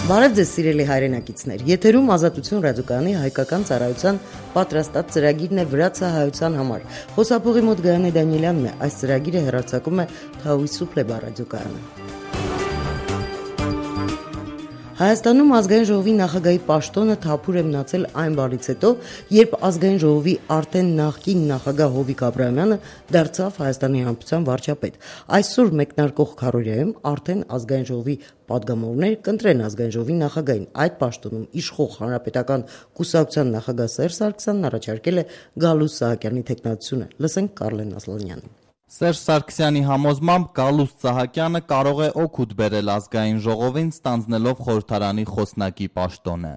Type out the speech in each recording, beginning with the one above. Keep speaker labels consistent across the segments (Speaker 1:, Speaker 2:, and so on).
Speaker 1: Բարև ձեզ սիրելի հայրենակիցներ, եթերում Ազատություն ռադիոկայանի հայկական ծառայության պատրաստած ծրագիրն է Վրացը հայության համար։ Խոսափողի մոտ Գայանե Դանիելյանն է, այս ծրագիրը հեռարձակում է Թաուիսուփլե ռադիոկայանը։ Հայաստանում ազգային ժողովի նախագահի պաշտոնը թափուր է մնացել այն բանից հետո, երբ ազգային ժողովի արդեն նախկին նախագահ Հովիկ Աբրահամյանը դարձավ Հայաստանի Հանրապետության վարչապետ։ Այսօր մեկնարկող քարոզիայում արդեն ազգային ժողովի պատգամավորները կընտրեն ազգային ժողովի նախագահին։ Այդ պաշտոնում իշխող Հանրապետական կուսակցության նախագահ Սերժ Սարգսյանն առաջարկել է Գալուստ Սահակյանի թեկնածությունը։ Լսենք Կարլեն Ասլանյանին։
Speaker 2: Սերժ Սարգսյանի համոզմամբ Գալուստ Սահակյանը կարող է օգուտ բերել ազգային ժողովին ստանձնելով խորհրդարանի խոսնակի պաշտոնը։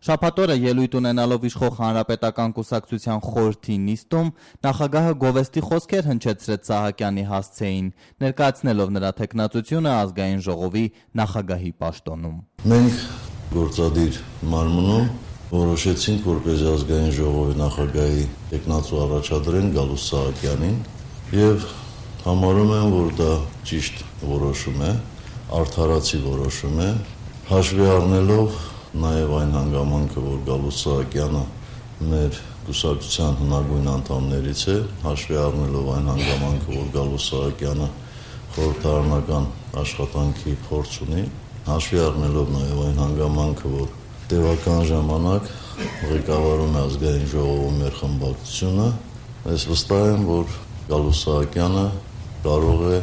Speaker 2: Շաբաթ օրը ելույթ ունենալով իշխող Հանրապետական կուսակցության խորհրդի նիստում նախագահը գովեստի խոսքեր հնչեցրեց Սահակյանի հասցեին, ներկայացնելով նրա թեկնածությունը ազգային ժողովի նախագահի պաշտոնում։
Speaker 3: Մենք գործադիր մարմնում որոշեցինք, որպես ազգային ժողովի նախագահի թեկնածու առաջադրեն Գալուստ Սահակյանին եւ համարում եմ, որ դա ճիշտ որոշում է, արդարացի որոշում է, հաշվի առնելով նաև այն հանգամանքը, որ Գալուստ Սահակյանը մեր կուսակցության հնագույն անդամներից է, հաշվի առնելով այն հանգամանքը, որ Գալուստ Սահակյանը խորհրդարանական աշխատանքի փորձ ունի, հաշվի առնելով նաև այն հանգամանքը, որ տևական ժամանակ ղեկավարում է ազգային ժողովում մեր խմբակցությունը, ես վստահ եմ, որ Գալուստ Սահակյանը կարող է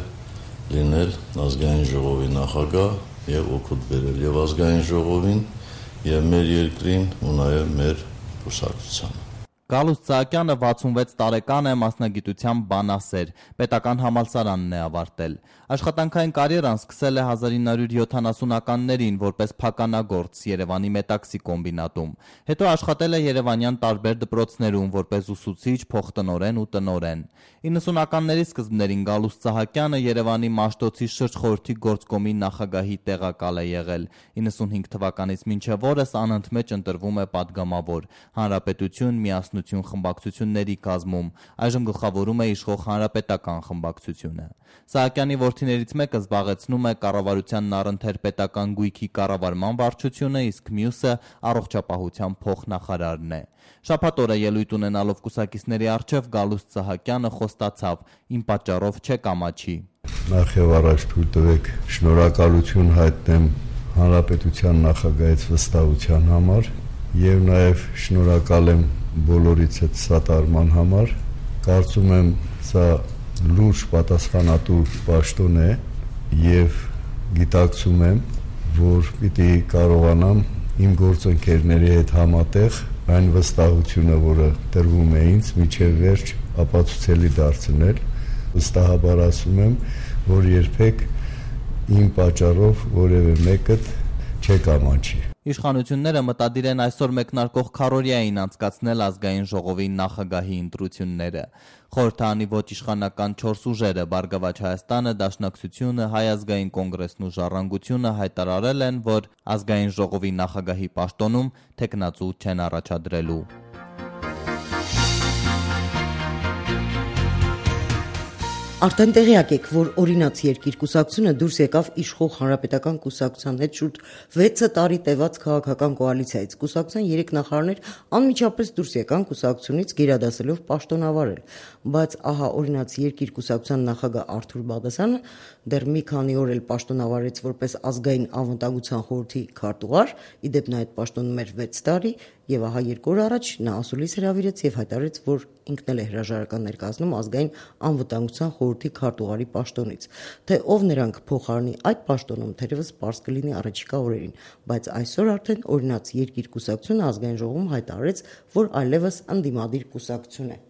Speaker 3: լինել ազգային ժողովի նախագահ եւ օգուտ բերել եւ ազգային ժողովին եւ մեր երկրին ու նաեւ մեր կուսակցությանը։
Speaker 2: Գալուստ Սահակյանը 66 տարեկան է, մասնագիտությամբ բանասեր, պետական համալսարանն է ավարտել։ Աշխատանքային կարիերան սկսել է 1970-ականներին որպես փականագործ Երևանի Մետաքսի կոմբինատում։ Հետո աշխատել է երևանյան տարբեր դպրոցներում որպես ուսուցիչ, փոխտնօրեն ու տնօրեն։ 90-ականների սկզբներին Գալուստ Սահակյանը Երևանի Մաշտոցի շրջխորհրդի գործկոմի նախագահի տեղակալ է եղել։ 95 թվականից մինչև օրս անընդմեջ ընտրվում է падգամավոր, Հանրապետություն, Միասնություն խմբակցությունների կազմում, այժմ գլխավորում է իշխող Հանրապետական խմբակցությունը։ Սահակյանի որդիներից մեկը զբաղեցնում է կառավարությանն առընթեր պետական գույքի կառավարման վարչությունը, իսկ մյուսը առողջապահության փոխնախարարն է։ Շաբաթ օրը ելույթ ունենալով կուսակիցների առջև Գալուստ Սահակյանը խոստացավ. «Իմ պատճառով չեք ամաչի»։
Speaker 4: Նախ եւ առաջ թույլ տվեք շնորհակալություն հայտնեմ Հանրապետության նախագահից վստահության համար եւ նաեւ շնորհակալ եմ բոլորից այդ սատարման համար։ Կարծում եմ սա լուրջ պատասխանատու պաշտոն է եւ գիտակցում եմ, որ պիտի կարողանամ իմ գործընկերների հետ համատեղ այն վստահությունը, որը տրվում է ինձ, միջև վերջ ապացուցելի դարձնել։ Վստահաբար ասում եմ, որ երբեք իմ պատճառով որևէ մեկը չեք ամաչի։
Speaker 2: Իշխանությունները մտադիր են այսօր մեկնարկող քարոզիային անցկացնել ազգային ժողովի նախագահի ընտրությունները։ Խորհրդարանի ոչ իշխանական 4 ուժերը՝ Բարգավաճ Հայաստանը, Դաշնակցությունը, Հայ ազգային կոնգրեսն ու Ժառանգությունը հայտարարել են, որ ազգային ժողովի նախագահի պաշտոնում թեկնածու չեն առաջադրելու։
Speaker 1: Արդեն տեղյակ եք, որ օրինաց երկիր կուսակցությունը դուրս եկավ իշխող Հանրապետական կուսակցության հետ շուրջ 6 տարի տևած քաղաքական կոալիցիայից։ Կուսակցության 3 նախարարներ անմիջապես դուրս եկան կուսակցությունից գերադասելով պաշտոնավարել, բայց ահա օրինաց երկիր կուսակցության նախագահ Արթուր Բաղդասարյանը դեռ մի քանի օր էլ պաշտոնավարեց որպես ազգային անվտանգության խորհրդի քարտուղար, իդեպ նա այդ պաշտոնում էր 6 տարի, եւ ահա 2 օր առաջ նա ասուլիս հրավիրեց եւ հայտարարեց, որ ինքն էլ է հրաժարական ներկայացնում ազգային անվտանգության խորհրդի քարտուղարի պաշտոնից։ Թե ով նրանք փոխարինի այդ պաշտոնում, թերևս պարզ կլինի առաջիկա օրերին, բայց այսօր արդեն օրինաց երկիր կուսակցությունը ազգային ժողովում հայտարարեց, որ այլևս ընդդիմադիր կուսակցություն է։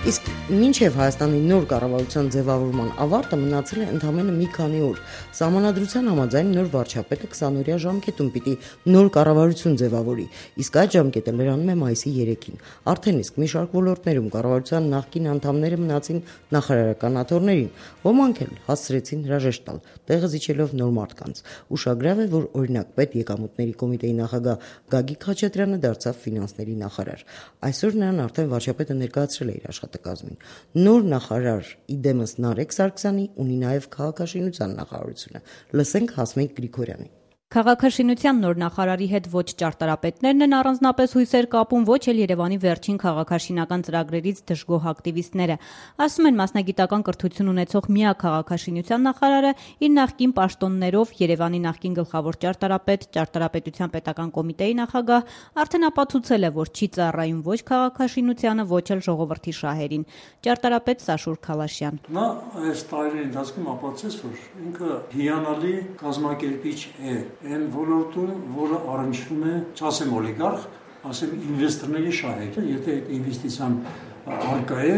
Speaker 1: Իսկ Մինչև Հայաստանի նոր կառավարության ձևավորման ավարտը մնացել է ընդամենը մի քանի օր։ Սահմանադրության համաձայն նոր վարչապետը 20-օրյա ժամկետում պիտի նոր կառավարություն ձևավորի, իսկ այդ ժամկետը լրանում է մայիսի 3-ին։ Արդեն իսկ մի շարք ոլորտներում կառավարության նախկին անդամները մնացին նախարարական աթոռներին, ոմանք էլ հասցրեցին հրաժեշտ տալ, տեղը զիջելով նոր մարդկանց։ Ուշագրավ է, որ օրինակ պետեկամուտների կոմիտեի նախագահ Գագիկ Խաչատրյանը դարձավ ֆինանսների նախարար։ Այսօր նրան արդեն վարչապետը ներկայացրել է իր աշխատակազմին։ Նոր նախարար իդեմս Նարեկ Սարգսյանի ունի նաև քաղաքաշինության նախարարությունը։ Լսենք Հասմիկ Գրիգորյանի։
Speaker 5: Քաղաքաշինության նոր նախարարի հետ ոչ ճարտարապետներն են առանձնապես հույսեր կապում, ոչ էլ Երևանի վերջին քաղաքաշինական ծրագրերից դժգոհ ակտիվիստները։ Ասում են, մասնագիտական կրթություն ունեցող միակ քաղաքաշինության նախարարը իր նախկին պաշտոններով Երևանի նախկին գլխավոր ճարտարապետ, ճարտարապետության պետական կոմիտեի նախագահ արդեն ապացուցել է, որ չի ծառայում ոչ քաղաքաշինությանը, ոչ էլ ժողովրդի շահերին։ Ճարտարապետ Սաշուր Քալաշյան։
Speaker 6: Նա այս տարիների ընթացքում ապացուցեց, որ ինքը հիանալի կազմակերպիչ է այն ոլորտում, որը առնչվում է, չասեմ օլիգարխ, ասեմ ինվեստորների շահերը, եթե այդ ինվեստիցիան արկա է,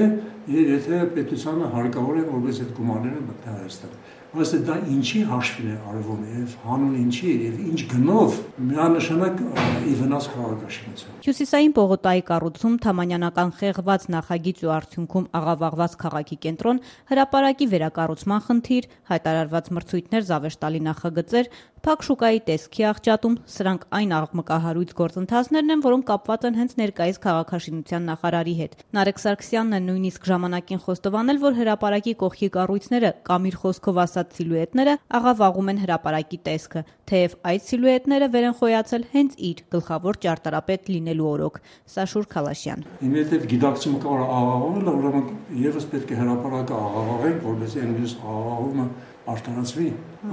Speaker 6: եւ եթե պետությանը հարկավոր է, որպես այդ գումարները մտնի Հայաստան։ Այսինքն դա ինչի հաշվին է արվում եւ հանուն ինչի եւ ինչ գնով միանշանակ ի վնաս քաղաքաշինության։
Speaker 5: Հյուսիսային պողոտայի կառուցում, թամանյանական խեղված նախագիծ ու արդյունքում աղավաղված քաղաքի կենտրոն, հրապարակի վերակառուցման խնդիր, հայտարարված մրցույթներ, զավեշտալի նախագծեր, փակ շուկայի տեսքի աղճատում, սրանք այն աղմկահարույց գործընթացներն են, որոնք կապված են հենց ներկայիս քաղաքաշինության նախարարի հետ։ Նարեկ Սարգսյանն է նույնիսկ ժամանակին խոստովանել, որ հրապարակի կողքի կառույցները կամ իր խոսքով ասած սիլուետները աղավաղում են հրապարակի տեսքը, թեև այդ սիլուետները վեր են խոյացել հենց իր գլխավոր ճարտարապետ լինելու օրոք։ Սաշուր Քալաշյան։
Speaker 6: Իմիջիայտ գիտակցումը կարող է աղավաղել, ուրեմն եւս պետք է հրապարակը աղավաղեն, որովհետեւ այնպես աղավաղումը արտարացվի։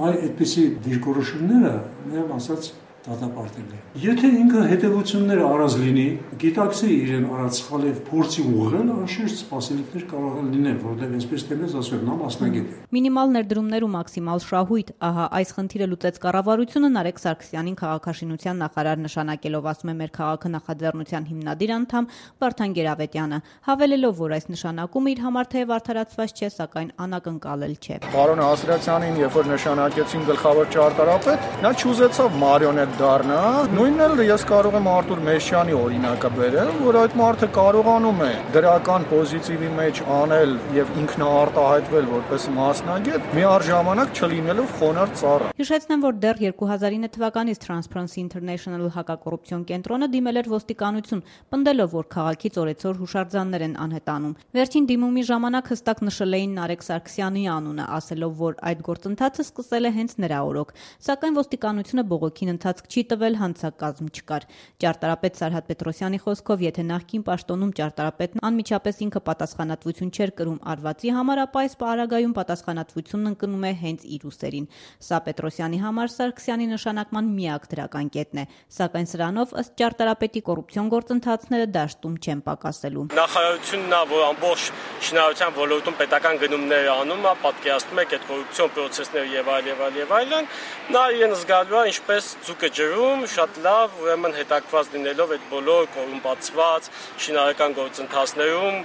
Speaker 6: Այդպիսի դիրքորոշումները նույն ասած դատապարտել է։ Եթե ինքը հետևությունները առած լինի, գիտակցի իրեն առած սխալ եւ փորձի ուղղել, անշուշտ սպասելիքներ կարող են լինել, որովհետեւ այսպես թեմես ասում նա մասնագետ է։
Speaker 5: Մինիմալ ներդրումներ ու մաքսիմալ շահույթ, ահա այս խնդիրը լուծեց կառավարությունը Նարեկ Սարգսյանին քաղաքաշինության նախարար նշանակելով, ասում է մեր քաղաքը նախաձեռնության հիմնադիր անդամ Վարդան Գերավետյանը, հավելելով, որ այս նշանակումը իր համար թեև արդարացված չէ, սակայն անակնկալել չէ։
Speaker 7: Պարոն Ասրացյանին, երբ որ նշանակեցին գլխավոր ճարտարապետ, նա չուզեցավ մարիոնետ դառնա։ Նույնն էլ ես կարող եմ Արտուր Մեշյանի օրինակը բերեմ, որ այդ մարդը կարողանում է դրական պոզիտիվի մեջ անել եւ ինքնաարտահայտվել որպես մասնագետ, միառժամանակ չլինելով խոնարհ ծառա։
Speaker 5: Հիշեցնեմ, որ դեռ 2009 թվականից Transparency International հակակոռուպցիոն կենտրոնը դիմել էր ոստիկանություն, պնդելով, որ քաղաքից օրեցօր հուշարձաններ են անհետանում։ Վերջին դիմումի ժամանակ հստակ նշել էին Նարեկ Սարգսյանի անունը, ասելով, որ այդ գործընթացը սկսել է հենց նրա օրոք, սակայն ոստիկանությունը բողոքին ընթացք չի տվել, հանցակազմ չկար։ Ճարտարապետ Սարհատ Պետրոսյանի խոսքով, եթե նախկին պաշտոնում ճարտարապետն անմիջապես ինքը պատասխանատվություն չէր կրում արվածի համար, ապա այս պարագայում պատասխանատվությունն ընկնում է հենց իր ուսերին։ Սա Պետրոսյանի համար Սարգսյանի նշանակման միակ դրական կետն է, սակայն սրանով ըստ ճարտարապետի կոռուպցիոն գործընթացները դաշտում չեն պակասելու։
Speaker 8: Նախարարությունն է, որ ամբողջ շինարարության ոլորտում պետական գնումներ անում է, պատկերացնում է այդ կոռուպցիոն պրոցեսները եւ այլն, նա իրեն զգալու է ինչպես ձուկը ջրում, շատ լավ, ուրեմն հետաքրքրված լինելով այդ բոլոր կոռումպացված շինարարական գործընթացներում,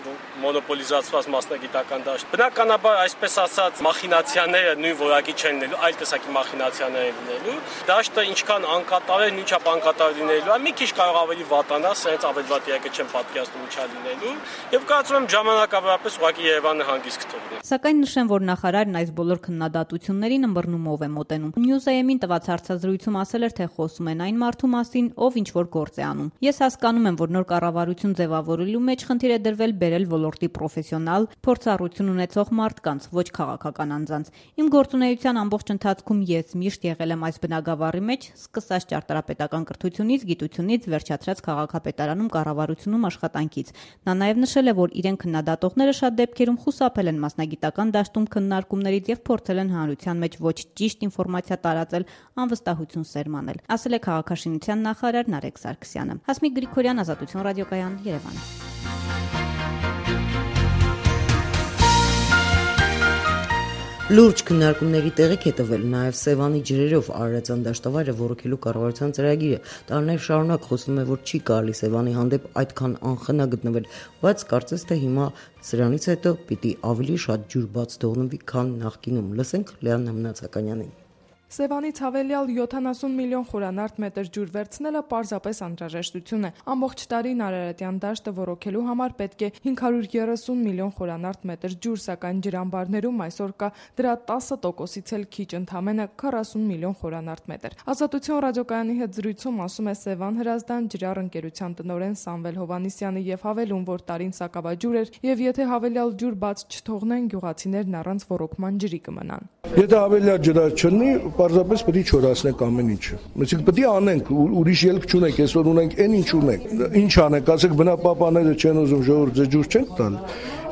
Speaker 8: մոնոպոլիզացված մասնագիտական դաշտ։ Բնականաբար, այսպես ասած, մախինացիաները նույն որակի չեն լինելու, այլ տեսակի մախինացիաներ են լինելու։ Դաշտը ինչքան անկատար է, նույնչափ անկատար լինելու է, մի քիչ կարող ավելի վատանա, սենց ավելի վատ երակը չեն պատկերացնում ինչա լինելու, եւ կարծում եմ ժամանակավորապես ուղղակի Երևանը հանգիստ կթողնի։
Speaker 5: Սակայն նշեմ, որ նախարարն այս բոլոր քննադատություններին ըմբռնումով է մոտենում։ Newsam-ին տված հարցազրույցում ասել էր, թե խոսում են այն մարդու մասին, ով ինչ որ գործ է անում։ Ես հասկանում եմ, որ նոր կառավարություն ձևավորելու մեջ խնդիր է դրվել բերել ոլորտի պրոֆեսիոնալ, փորձառություն ունեցող մարդկանց, ոչ քաղաքական անձանց։ Իմ գործունեության ամբողջ ընթացքում ես միշտ եղել եմ այս բնագավառի մեջ, սկսած ճարտարապետական կրթությունից, գիտությունից, վերջացրած քաղաքապետարանում կառավարությունում աշխատանքից։ Նա նաև նշել է, որ իրեն քննադատողները շատ դեպքերում խուսափել են մասնագիտական դաշտում քննարկումներից եւ փորձել են հանրության մեջ ոչ ճիշտ ինֆորմացիա տարածել, անվստահություն սերմանել, ասել է քաղաքաշինության նախարար Նարեկ Սարգսյանը։ Հասմիկ Գրիգորյան, Ազատություն ռադիոկայան, Երևան։
Speaker 1: Լուրջ քննարկումների տեղիք է տվել նաև Սևանի ջրերով Արարատյան դաշտավայրը ոռոգելու կառավարության ծրագիրը։ Տարիներ շարունակ խոսվում է, որ չի կարելի Սևանի հանդեպ այդքան անխնա գտնվել, բայց կարծես թե հիմա սրանից հետո պիտի ավելի շատ ջուր բաց թողնվի, քան նախկինում։ Լսենք Լեան Մնացականյանին։
Speaker 9: Սևանից հավելյալ 70 միլիոն խորանարդ մետր ջուր վերցնելը պարզապես անհրաժեշտություն է։ Ամբողջ տարին Արարատյան դաշտը ոռոգելու համար պետք է 530 միլիոն խորանարդ մետր ջուր, սակայն ջրամբարներում այսօր կա դրա 10%-ից էլ քիչ, ընդամենը 40 միլիոն խորանարդ մետր։ Ազատություն ռադիոկայանի հետ զրույցում ասում է Սևան Հրազդան ջրար ընկերության տնօրեն Սամվել Հովհաննիսյանը եւ հավելում, որ տարին սակավաջուր էր եւ եթե հավելյալ ջուր բաց չթողնեն, գյուղացիներն առանց ոռոգման ջրի կմնան։
Speaker 7: Եթե հավելյալ ջրար չլինի, պարզապես պետք է չորացնենք ամեն ինչը։ Մենք պետք է անենք, ուրիշ ելք չունենք, այսօր ունենք այն ինչ ունենք։ Ինչ անենք, ասեք բնապահպանները չեն ուզում ժողովուրդ ջուր չենք տալ։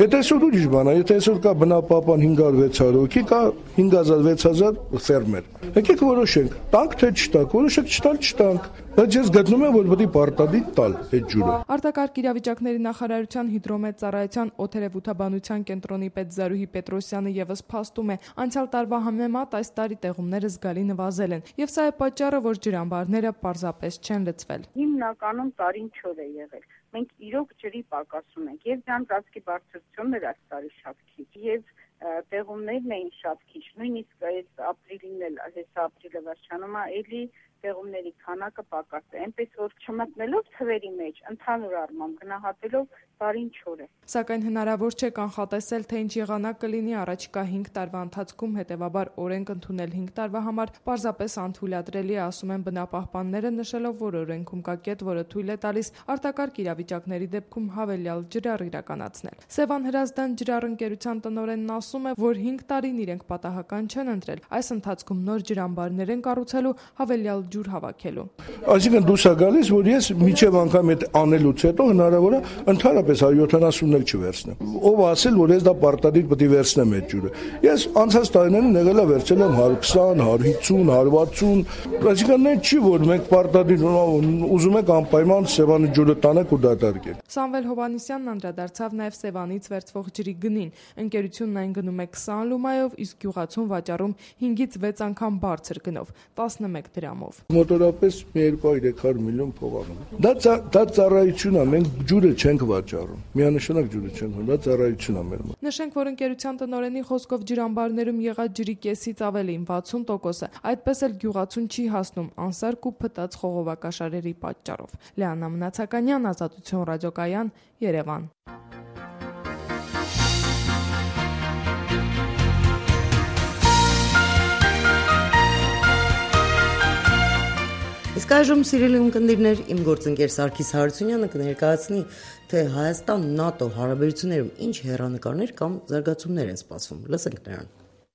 Speaker 7: Եթե այսօր ուրիշ բան է, եթե այսօր կա բնապահպան 500-600 հոգի, կա 5000-6000 ֆերմեր։ Եկեք որոշենք, տանք թե չտանք, որոշեք չտալ չտանք։ Բայց ես գտնում եմ, որ պետք է պարտադիր տալ այդ ջուրը։
Speaker 9: Արտակարգ իրավիճակների նախարարության հիդրոմետ ծառայության օդերևութաբանության կենտրոնի պետ Զարուհի Պետրոսյանը եւս փաստում է, անցյալ տարվա համեմատ այս տարի տեղումները զգալի նվազել են, եւ սա է պատճառը, որ ջրամբարները պարզապես չեն լցվել։
Speaker 10: Հիմնականում տարին չոր է եղել։ Մենք իրոք ջրի պակաս ունենք, եւ ջանցածքի բարձրությունն էր այս տարի շատ քիչ, եւ տեղումներն էին շատ քիչ, նույնիսկ այս ապրիլին էլ, այս ապրիլը վերջանում է, էլի տեղումների քանակը պակաս է, այնպես որ չմտնելով թվերի մեջ, ընդհանուր առմամբ գնահատելով տարին չոր է։
Speaker 9: Սակայն հնարավոր չէ կանխատեսել, թե ինչ եղանակ կլինի առաջիկա 5 տարվա ընթացքում, հետևաբար օրենք ընդունել 5 տարվա համար պարզապես անթույլատրելի է, ասում են բնապահպանները, նշելով, որ օրենքում կա կետ, որը թույլ է տալիս արտակարգ իրավիճակների դեպքում հավելյալ ջրառ իրականացնել։ Սևան Հրազդան ջրառ ընկերության տնօրենն ասում է, որ 5 տարին իրենք պատահական չեն ընտրել, այս ընթացքում նոր ջրամբարներ են կառուցելու, հավելյալ ջուր հավաքելու։
Speaker 7: Այսինքն դուրս է գալիս, որ ես միջև անգամ այդ անելուց հետո հնարավոր է ընդհանրապես 170-ն էլ չվերցնեմ։ Ով ասել, որ ես դա պարտադիր պետք է վերցնեմ այդ ջուրը։ Ես անցած տարիներին եղել է վերցել եմ 120, 150, 160, այսինքն այն չի, որ մենք պարտադիր ուզում ենք անպայման Սևանի ջուրը տանենք ու դատարկենք։
Speaker 9: Սամվել Հովհաննիսյանն անդրադարձավ նաև Սևանից վերցվող ջրի գնին։ Ընկերությունն այն գնում է 20 լումայով, իսկ գյուղացուն վաճառում 5-ից 6 անգամ բարձր գնով, 11 դրամով։
Speaker 7: Մոտորապես 200-300 միլիոն փող անում։ Դա ծառայություն է, մենք ջուրը չենք վաճառում։ Միանշանակ ջուրը չենք վաճառում, դա ծառայություն է մեր մոտ։
Speaker 9: Նշենք, որ ընկերության տնօրենի խոսքով ջրամբարներում եղած ջրի կեսից ավելին 60%-ը այդպես էլ գյուղացուն չի հասնում անսարք ու փտած խողովակաշարերի պատճառով։ Լեանա Մնացականյան, Ազատություն ռադիոկայան, Երևան։
Speaker 1: Իսկ այժմ սիրելի ունկնդիրներ, իմ գործընկեր Սարգիս Հարությունյանը կներկայացնի, թե Հայաստան-ՆԱՏՕ հարաբերություններում ինչ հեռանկարներ կամ զարգացումներ են սպասվում։ Լսենք նրան։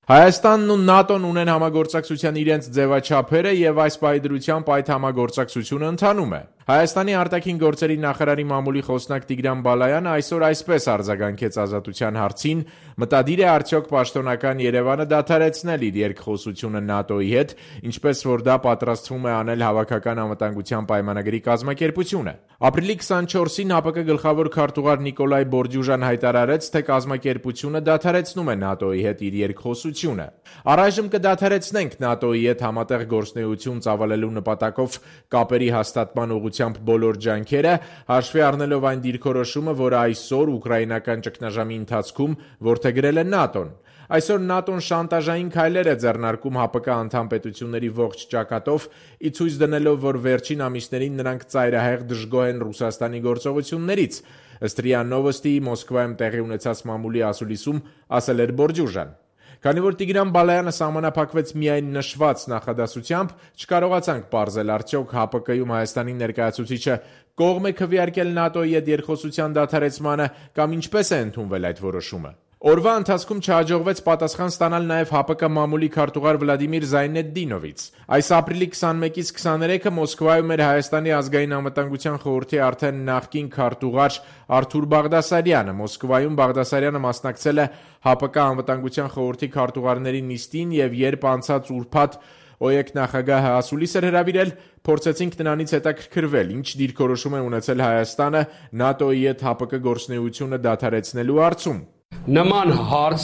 Speaker 11: Հայաստանն ու ՆԱՏՕ-ն ունեն համագործակցության իրենց ձևաչափերը եւ այս պայդրությամբ այդ համագործակցությունը ընթանում է։ Հայաստանի արտաքին գործերի նախարարի մամուլի խոսնակ Տիգրան Բալայանը այսօր այսպես արձագանքեց Ազատության հարցին. մտադիր է արդյոք պաշտոնական Երևանը դադարեցնել իր երկխոսությունը ՆԱՏՕ-ի հետ, ինչպես որ դա պատրաստվում է անել հավաքական անվտանգության պայմանագրի կազմակերպությունը։ Ապրիլի 24-ին ՀԱՊԿ գլխավոր քարտուղար Նիկոլայ Բորջուժան հայտարարեց, թե կազմակերպությունը դադարեցնում է ՆԱՏՕ-ի հետ իր երկխոսությունը։ Առայժմ կդադարեցնենք ՆԱՏՕ-ի հետ համատեղ գործունեություն ծավալելու նպատակով կապերի հաստատման ուղղությամբ բոլոր ջանքերը, հաշվի առնելով այն դիրքորոշումը, որը այսօր ուկրաինական ճգնաժամի ընթացքում որդեգրել է ՆԱՏՕ-ն։ Այսօր ՆԱՏՕ-ն շանտաժային քայլեր է ձեռնարկում ՀԱՊԿ անդամ պետությունների ողջ ճակատով, ի ցույց դնելով, որ վերջին ամիսներին նրանք ծայրահեղ դժգոհ են Ռուսաստանի գործողություններից, ըստ ՌԻԱ Նովոստիի Մոսկվայում տեղի ունեցած մամուլի ասուլիսում ասել էր Բորջուժան։ Քանի որ Տիգրան Բալայանը սահմանափակվեց միայն նշված նախադասությամբ, չկարողացանք պարզել արդյոք ՀԱՊԿ-ում Հայաստանի ներկայացուցիչը կողմ է քվեարկել ՆԱՏՕ-ի հետ երկխոսության դադարեցմանը կամ ինչպես է ընդունվել այդ որոշումը։ Օրվա ընթացքում չհաջողվեց պատասխան ստանալ նաև ՀԱՊԿ մամուլի քարտուղար Վլադիմիր Զայնեդդինովից։ Այս ապրիլի 21-ից 23-ը Մոսկվայում էր Հայաստանի ազգային անվտանգության խորհրդի արդեն նախկին քարտուղար Արթուր Բաղդասարյանը։ Մոսկվայում Բաղդասարյանը մասնակցել է ՀԱՊԿ անվտանգության խորհրդի քարտուղարների նիստին եւ երբ անցած ուրբաթ ՕԵԿ նախագահը ասուլիս էր հրավիրել, փորձեցինք նրանից հետաքրքրվել, ինչ դիրքորոշում է ունեցել Հայաստանը ՆԱՏՕ-ի հետ ՀԱՊԿ գործունեությունը դադարեցնելու հարցում։
Speaker 12: Նման հարց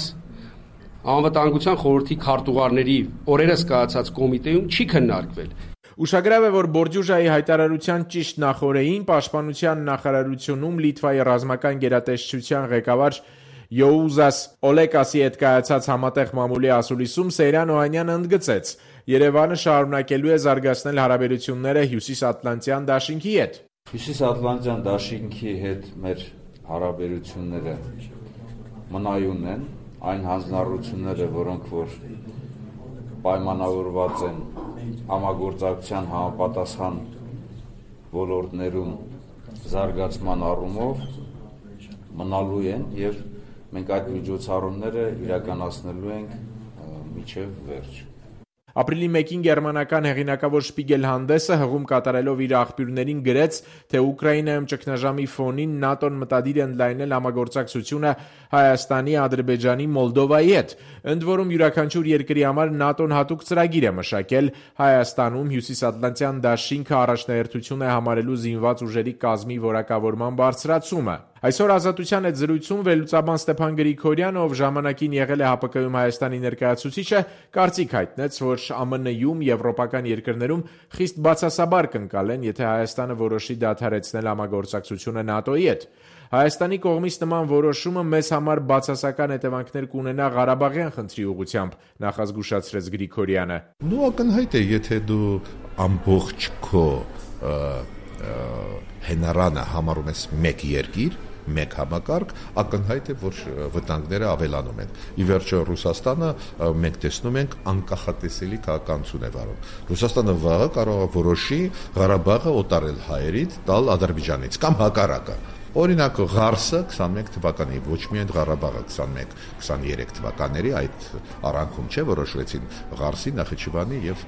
Speaker 12: Անվտանգության խորհրդի քարտուղարների օրերս կայացած կոմիտեում չի քննարկվել։
Speaker 11: Ուշագրավ է, որ Բորջուժայի հայտարարության ճիշտ նախօրեին Պաշտպանության նախարարությունում Լիտվայի ռազմական գերատեսչության ղեկավար Յոուզաս Օլեկասի հետ կայացած համատեղ մամուլի ասուլիսում Սեյրան Օհանյանը ընդգծեց. Երևանը շարունակելու է զարգացնել հարաբերությունները Հյուսիսատլանտյան դաշինքի հետ։
Speaker 13: Հյուսիսատլանտյան դաշինքի հետ մեր հարաբերությունները մնայուն են, այն հանձնառությունները, որոնք որ պայմանավորված են համագործակցության համապատասխան ոլորտներում զարգացման առումով մնալու են եւ մենք այդ միջոցառումները իրականացնելու ենք մինչեւ վերջ։
Speaker 11: Ապրիլի 1-ին գերմանական հեղինակավոր Շպիգել հանդեսը հղում կատարելով իր աղբյուրներին գրեց, թե Ուկրաինայում ճգնաժամի ֆոնին ՆԱՏՕ-ն մտադիր է ընդլայնել համագործակցությունը Հայաստանի, Ադրբեջանի, Մոլդովայի հետ։ Ընդ որում յուրաքանչյուր երկրի համար ՆԱՏՕ-ն հատուկ ծրագիր է մշակել Հայաստանում Հյուսիսատլանտյան դաշինքը առաջնահերթություն է համարելու զինված ուժերի կազմի որակավորման բարձրացումը։ Այսօր Ազատության հետ զրույցում վերլուծաբան Ստեփան Գրիգորյանը, ով ժամանակին եղել է ՀԱՊԿ-ում Հայաստանի ներկայացուցիչը, կարծիք հայտնեց, որ ԱՄՆ-ում, եվրոպական երկրներում խիստ բացասաբար կընկալեն, եթե Հայաստանը որոշի դադարեցնել համագործակցությունը ՆԱՏՕ-ի հետ։ Հայաստանի կողմից նման որոշումը մեզ համար բացասական հետևանքներ կունենա Ղարաբաղյան խնդրի ուղղությամբ, նախազգուշացրեց Գրիգորյանը։
Speaker 14: Ակնհայտ է, եթե դու ամբողջ քո հենարանը համարում ես մեկ երկիր, մեկ համակարգ, ակնհայտ է, որ վտանգները ավելանում են։ Ի վերջո Ռուսաստանը մենք տեսնում ենք անկախատեսելի քաղաքականություն է վարում։ Ռուսաստանը վաղը կարող է որոշի Ղարաբաղը օտարել հայերից, տալ Ադրբեջանից կամ հակառակը։ Օրինակ Ղարսը 21 թվականի, ոչ միայն Ղարաբաղը 21-23 թվականների այդ առանցքում չէ որոշվեցին Ղարսի, Նախիջևանի եւ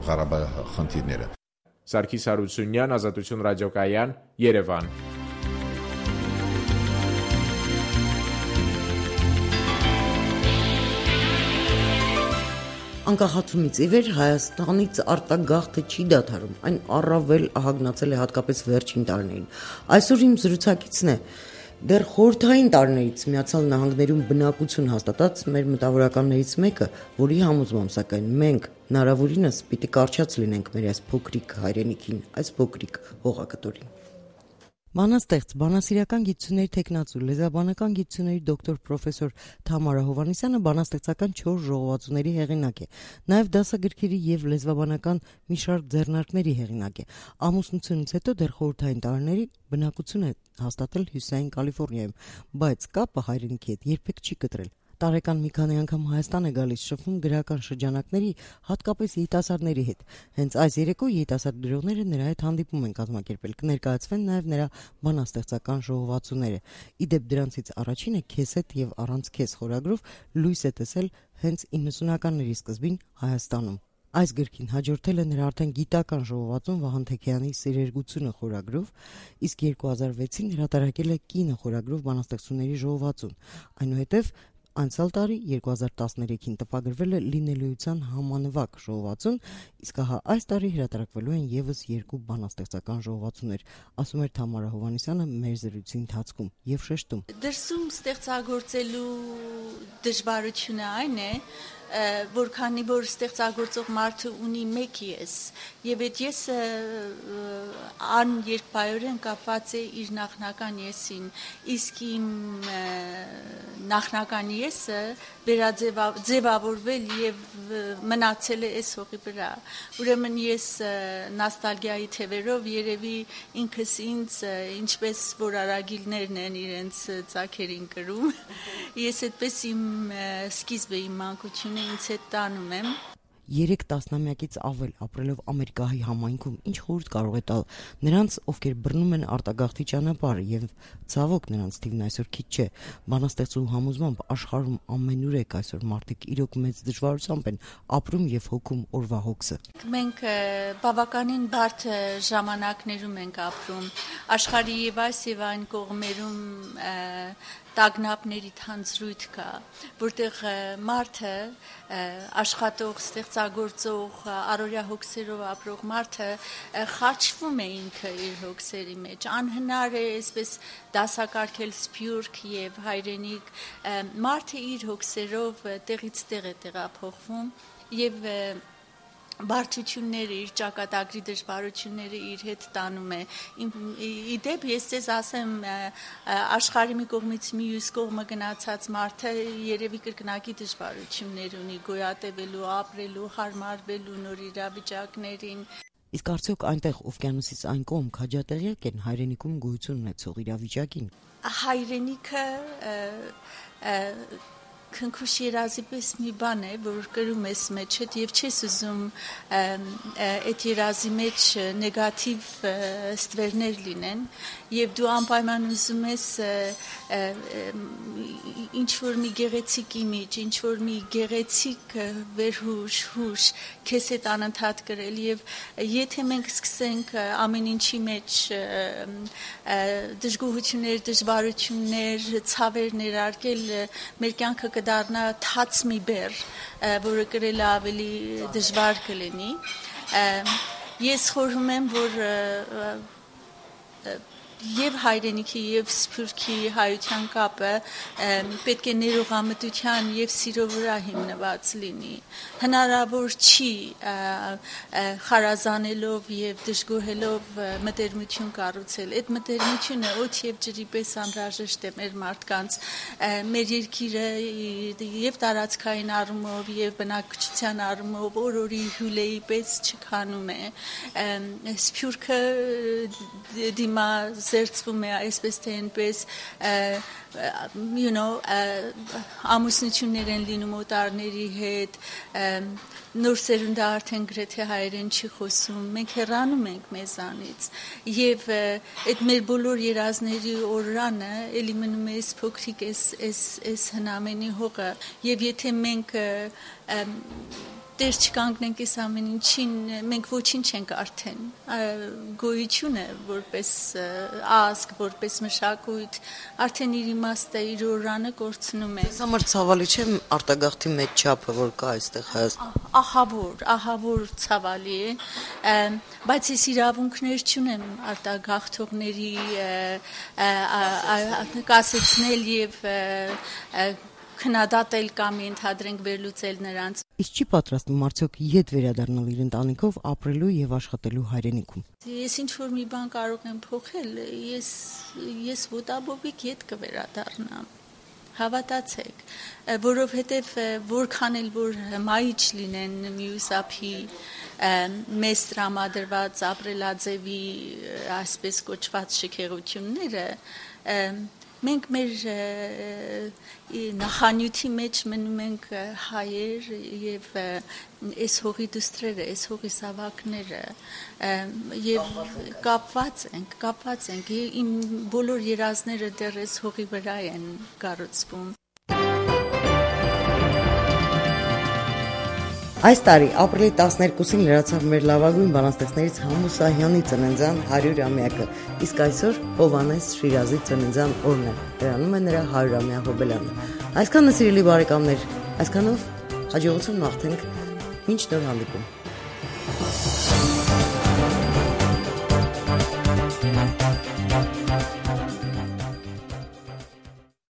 Speaker 14: Ղարաբաղի խնդիրները։
Speaker 11: Սարգիս Հարությունյան, Ազատություն ռադիոկայան, Երևան։
Speaker 1: Անկախացումից ի վեր Հայաստանից արտագաղթը չի դադարում, այն առավել ահագնացել է հատկապես վերջին տարիներին։ Այսօր իմ զրուցակիցն է դեռ խորհրդային տարիներից Միացյալ Նահանգներում բնակություն հաստատած մեր մտավորականներից մեկը, որի համոզմամբ սակայն մենք հնարավորինս պիտի կարճած լինենք մեր այս փոքրիկ հայրենիքին, այս փոքրիկ հողակտորին։ Բանաստեղծ, բանասիրական գիտությունների թեկնածու, լեզվաբանական գիտությունների դոկտոր պրոֆեսոր Թամարա Հովհաննիսյանը բանաստեղծական 4 ժողովածուների հեղինակ է, նաև դասագրքերի եւ լեզվաբանական մի շարք ձեռնարկների հեղինակ է։ Ամուսնությունից հետո դեռ խորհրդային տարիների բնակություն է հաստատել Հյուսիսային Կալիֆոռնիայում, բայց կապը հայրենիքի հետ երբեք չի կտրել։ Տարեկան մի քանի անգամ Հայաստան է գալիս, շփվում գրական շրջանակների, հատկապես երիտասարդների հետ։ Հենց այս երեկո երիտասարդ գրողները նրա հետ հանդիպում են կազմակերպել, կներկայացվեն նաև նրա բանաստեղծական ժողովածուները։ Ի դեպ դրանցից առաջինը «Քեզ հետ եւ առանց քեզ» խորագրով լույս է տեսել հենց 90-ականների սկզբին Հայաստանում։ Այս գրքին հաջորդել է նրա արդեն գիտական ժողովածուն Վահան Թեքեյանի «Սերերգությունը» խորագրով, իսկ 2006-ին հրատարակել է «Կինը» խորագրով բանաստեղծությունների ժողովածուն։ Այնուհետև անցյալ տարի 2013-ին տպագրվել է «Լինելիության համանվագ» ժողովածուն, իսկ ահա այս տարի հրատարակվելու են եւս 2 բանաստեղծական ժողովածուներ, ասում էր Թամարա Հովհաննիսյանը մեր զրույցի ընթացքում եւ շեշտում.
Speaker 15: Դրսում ստեղծագործելու դժվարությունը այն է, որ քանի որ ստեղծագործող մարդը ունի մեկ ես, եւ այդ եսը աներկբայորեն կապված է իր նախնական եսին, իսկ իմ նախնական եսը ձևավորվել եւ մնացել է այս հողի վրա։ Ուրեմն ես նոստալգիայի թևերով երևի ինքս ինձ, ինչպես որ արագիլներն են իրենց ծագերին կրում, ես այդպես իմ սկիզբը, իմ մանկությունը ինձ հետ տանում եմ։
Speaker 1: 3 տասնամյակից ավել ապրելով Ամերիկայի համայնքում ինչ խորհուրդ կարող է տալ նրանց, ովքեր բռնում են արտագաղթի ճանապարհը եւ ցավոք նրանց թիվն այսօր քիչ չէ։ Բանաստեղծու համոզմամբ աշխարհում ամենուրեք այսօր մարդիկ իրոք մեծ դժվարությամբ են ապրում եւ հոգում օրվա հոգսը։
Speaker 15: Մենք բավականին բարդ ժամանակներում ենք ապրում աշխարհի եւ այս եւ այն կողմերում տագնապների թանձրույթ կա, որտեղ մարդը աշխատող, ստեղծագործող, առօրյա հոգսերով ապրող մարդը խաչվում է ինքը իր հոգսերի մեջ, անհնար է այսպես դասակարգել սփյուռք եւ հայրենիք, մարդը իր հոգսերով տեղից տեղ է տեղափոխվում եւ բարդությունները, իր ճակատագրի դժվարությունները իր հետ տանում է։ Իդեպ ես ձեզ ասեմ, աշխարհի մի կողմից մյուս կողմը գնացած մարդը երևի կրկնակի դժվարություններ ունի գոյատևելու, ապրելու, հարմարվելու նոր իրավիճակներին։
Speaker 1: Իսկ արդյոք այնտեղ օվկիանոսից այն կողմ քաջատեղյակ են հայրենիքում գոյություն ունեցող իրավիճակին։
Speaker 15: Հայրենիքը քնքուշ երազի պես մի բան է, որ կրում ես մեջդ եւ չես ուզում այդ երազի մեջ նեգատիվ ստվերներ լինեն եւ դու անպայման ուզում ես ինչ որ մի գեղեցիկ իմիջ, ինչ որ մի գեղեցիկ վերհուշ, հուշ քեզ հետ անընդհատ կրել եւ եթե մենք սկսենք ամեն ինչի մեջ դժգոհություններ, դժվարություններ, ցավեր ներարկել, մեր կյանքը կդառնա թաց մի բեռ, որը կրելը ավելի դժվար կլինի։ Ես խորհում եմ, որ եւ հայրենիքի եւ սփյուռքի հայության կապը պետք է ներողամտության եւ սիրո վրա հիմնված լինի։ Հնարավոր չի խարազանելով եւ դժգոհելով մտերմություն կառուցել։ Այդ մտերմությունը օդ եւ ջրի պես անհրաժեշտ է մեր մարդկանց, մեր երկիրը եւ տարածքային առումով եւ բնակչության առումով օրորի հյուլեի պես չքանում է։ Սփյուռքը դիմա զերծվում է այսպես թե այնպես ամուսնություններ են լինում օտարների հետ, նոր սերունդը արդեն գրեթե հայերեն չի խոսում, մենք հեռանում ենք մեզանից եւ այդ մեր բոլոր երազների օրրանը էլի մնում է այս փոքրիկ այս հնամենի հողը եւ եթե մենք Տեր չկանգնենք այս ամեն ինչին, մենք ոչինչ չենք արդեն, գոյությունը որպես ազգ, որպես մշակույթ, արդեն իր իմաստը, իր օրրանը կորցնում է։
Speaker 1: Ես համար ցավալի չէ արտագաղթի մեծ չափը, որ կա այստեղ Հայաստանում։
Speaker 15: Ահավոր ցավալի է, բայց ես իրավունքներ չունեմ արտագաղթողների կասեցնել եւ քննադատել կամ ընդհանրենք վերլուծել նրանց։
Speaker 1: Իսկ չի պատրաստվում արդյոք ետ վերադառնալ իր ընտանիքով ապրելու եւ աշխատելու հայրենիքում։
Speaker 15: Ես ինչ որ մի բան կարող եմ փոխել, ես ոտաբոբիկ ետ կվերադառնամ։ Հավատացեք, որովհետև որքան էլ որ հմայիչ լինեն մյուս ափի մեծ տրամադրված ապրելաձևի այսպես կոչված շքեղությունները, մենք մեր նախանյութի մեջ մնում ենք հայեր եւ այս հողի դուստրերը, այս հողի սավակները եւ կապված ենք իմ բոլոր երազները դեռ այս հողի վրա են կառուցվում։
Speaker 1: Այս տարի ապրիլի 12-ին լրացավ մեր լավագույն բանաստեղծներից Համու Սահյանի ծննդյան 100-ամյակը, իսկ այսօր Հովհաննես Շիրազի ծննդյան օրն է, դրանում է նրա 100-ամյա հոբելյանը։ Այսքանը սիրելի բարեկամներ, այսքանով հաջողություն մաղթենք, մինչ նոր հանդիպում։